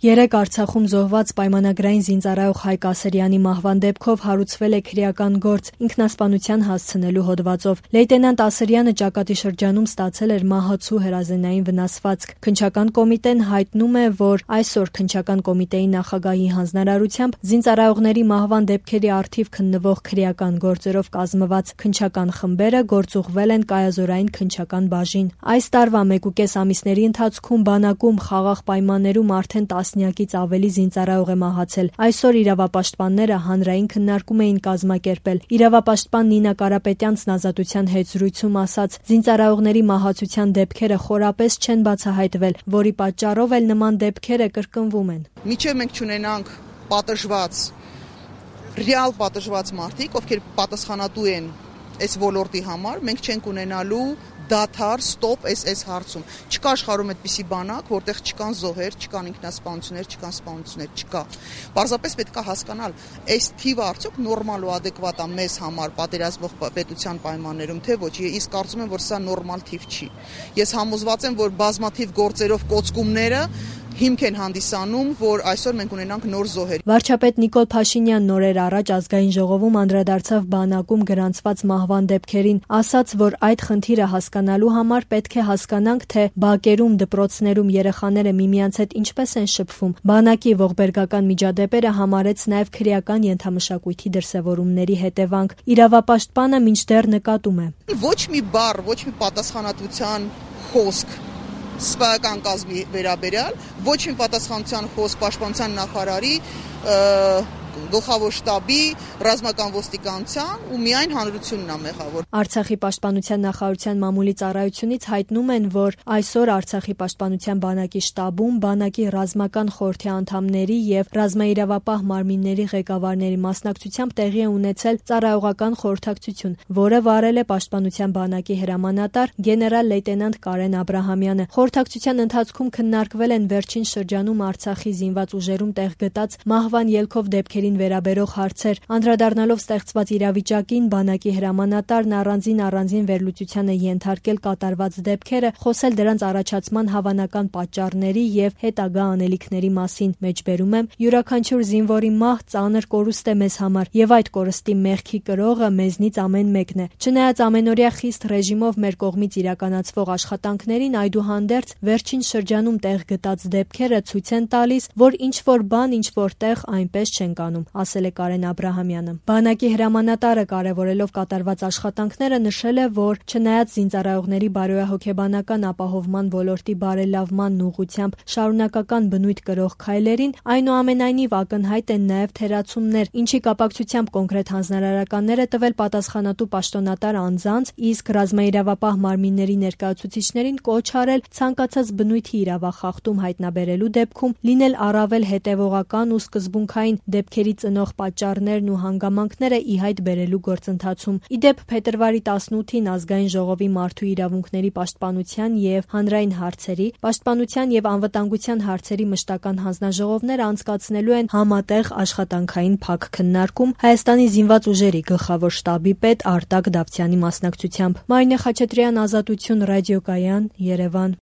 Երեկ Արցախում զոհված պայմանագրային զինծառայող Հայկ Ասրյանի մահվան դեպքով հարուցվել է քրեական գործ ինքնասպանության հասցնելու հոդվածով։ Լեյտենանտ Ասրյանը ճակատի շրջանում ստացել էր մահացու հրազենային վնասվածք։ Քննչական կոմիտեն հայտնում է, որ այսօր քննչական կոմիտեի նախագահի հանձնարարությամբ զինծառայողների մահվան դեպքերի առթիվ քննվող քրեական գործերով կազմված քննչական խմբերը գործուղվել են կայազորային քննչական բաժին։ Այս տարվա 1.5 ամիսների ընթացքում բանակում խաղաղ պայմաններում արդեն տասնյակից ավելի զինծառայող է մահացել։ Այսօր իրավապաշտպանները հանրային քննարկում էին կազմակերպել։ Իրավապաշտպան Նինա Կարապետյանցն Ազատության հետ զրույցում ասաց. զինծառայողների մահացության դեպքերը խորապես չեն բացահայտվել, որի պատճառով էլ նման դեպքերը կրկնվում են։ Մինչև մենք չունենանք ռեալ պատժված մարդիկ, ովքեր պատասխանատու են այս ոլորտի համար, մենք չենք ունենալու դադար, ստոպ այս հարցում։ Չկա աշխարհում այդպիսի բանակ, որտեղ չկան զոհեր, չկան ինքնասպանություններ, չկան սպանություններ, չկա։ Պարզապես պետք է հասկանալ, այս թիվը արդյոք նորմալ ու ադեկվատ է մեզ համար պատերազմող պետության պայմաններում, թե ոչ։ Ես կարծում եմ, որ սա նորմալ թիվ չի։ Ես համոզված եմ, որ բազմաթիվ գործերով կոծկումները հիմք են հանդիսանում, որ այսօր մենք ունենանք նոր զոհեր։ Վարչապետ Նիկոլ Փաշինյանն օրեր առաջ ազգային ժողովում անդրադարձավ բանակում գրանցված մահվան դեպքերին, ասաց, որ այդ խնդիրը հասկանալու համար պետք է հասկանանք, թե բակերում, դպրոցներում երեխաները միմյանց հետ ինչպես են շփվում։ Բանակի ողբերգական միջադեպերը համարեց նաև քրեական ենթամշակույթի դրսևորումների հետևանք։ Իրավապաշտպանը մինչդեռ նկատում է. Ոչ մի բառ, ոչ մի պատասխանատվության խոսք սպայական կազմի վերաբերյալ, ոչ մի պատասխանատվության խոսք պաշտպանության նախարարի, գլխավոր շտաբի, ռազմական ոստիկանության ու միայն հանրությունն է մեղավոր։ Արցախի պաշտպանության նախարարության մամուլի ծառայությունից հայտնում են, որ այսօր Արցախի պաշտպանության բանակի շտաբում բանակի ռազմական խորհրդի անդամների եւ ռազմաիրավապահ մարմինների ղեկավարների մասնակցությամբ տեղի է ունեցել ծառայողական խորհրդակցություն, որը վարել է պաշտպանության բանակի հրամանատար գեներալ լեյտենանտ Կարեն Աբրահամյանը։ Խորհրդակցության ընթացքում քննարկվել են վերջին շրջանում Արցախի զինված ուժերում տեղ գտած մահվան ելքով դեպքերին վերաբերող հարցեր։ Անդրադառնալով ստեղծված իրավիճակին, բանակի հրամանատարն առանձին վերլուծության է ենթարկել կատարված դեպքերը, խոսել դրանց առաջացման հավանական պատճառների եւ հետագա անելիքների մասին։ Մեջբերում եմ, յուրաքանչյուր զինվորի մահ ծանր կորուստ է մեզ համար, եւ այդ կորստի մեղքի կրողը մեզնից ամեն մեկն է։ Չնայած ամենօրյա խիստ ռեժիմով մեր կողմից իրականացվող աշխատանքներին, այդուհանդերձ վերջին շրջանում տեղ գտած դեպքերը ցույց են տալիս, որ ինչ-որ բան ինչ-որ տեղ այնպես չեն կանում, ասել է Կարեն Աբրահամյանը։ Բանակի հրամանատարը կարևորելով կատարված աշխատանքները նշել է, որ չնայած զինծառայողների բարոյահոգեբանական ապահովման ոլորտի բարելավման ուղղությամբ շարունակական բնույթ կրող քայլերին, այնուամենայնիվ ակնհայտ են նաև թերացումներ, ինչի կապակցությամբ կոնկրետ հանձնարարականներ է տվել պատասխանատու պաշտոնատար անձանց, իսկ ռազմաիրավապահ մարմինների ներկայացուցիչներին կոչ արել ցանկացած բնույթի իրավախախտում հայտնաբերելու դեպքում լինել առավել հետևողական ու սկզբունքային դեպքերի ծնող պատճառներն ու հանգամանքները ի հայտ բերելու գործընթացում։ Ի դեպ, փետրվարի 18-ին Ազգային ժողովի մարդու իրավունքների պաշտպանության եւ հանրային հարցերի, պաշտպանության եւ անվտանգության հարցերի մշտական հանձնաժողովները անցկացնելու են համատեղ աշխատանքային փակ քննարկում Հայաստանի զինված ուժերի գլխավոր շտաբի պետ Արտակ Դավթյանի մասնակցությամբ։ Մարինե Խաչատրյան, Ազատություն, ռադիոկայան, Երևան։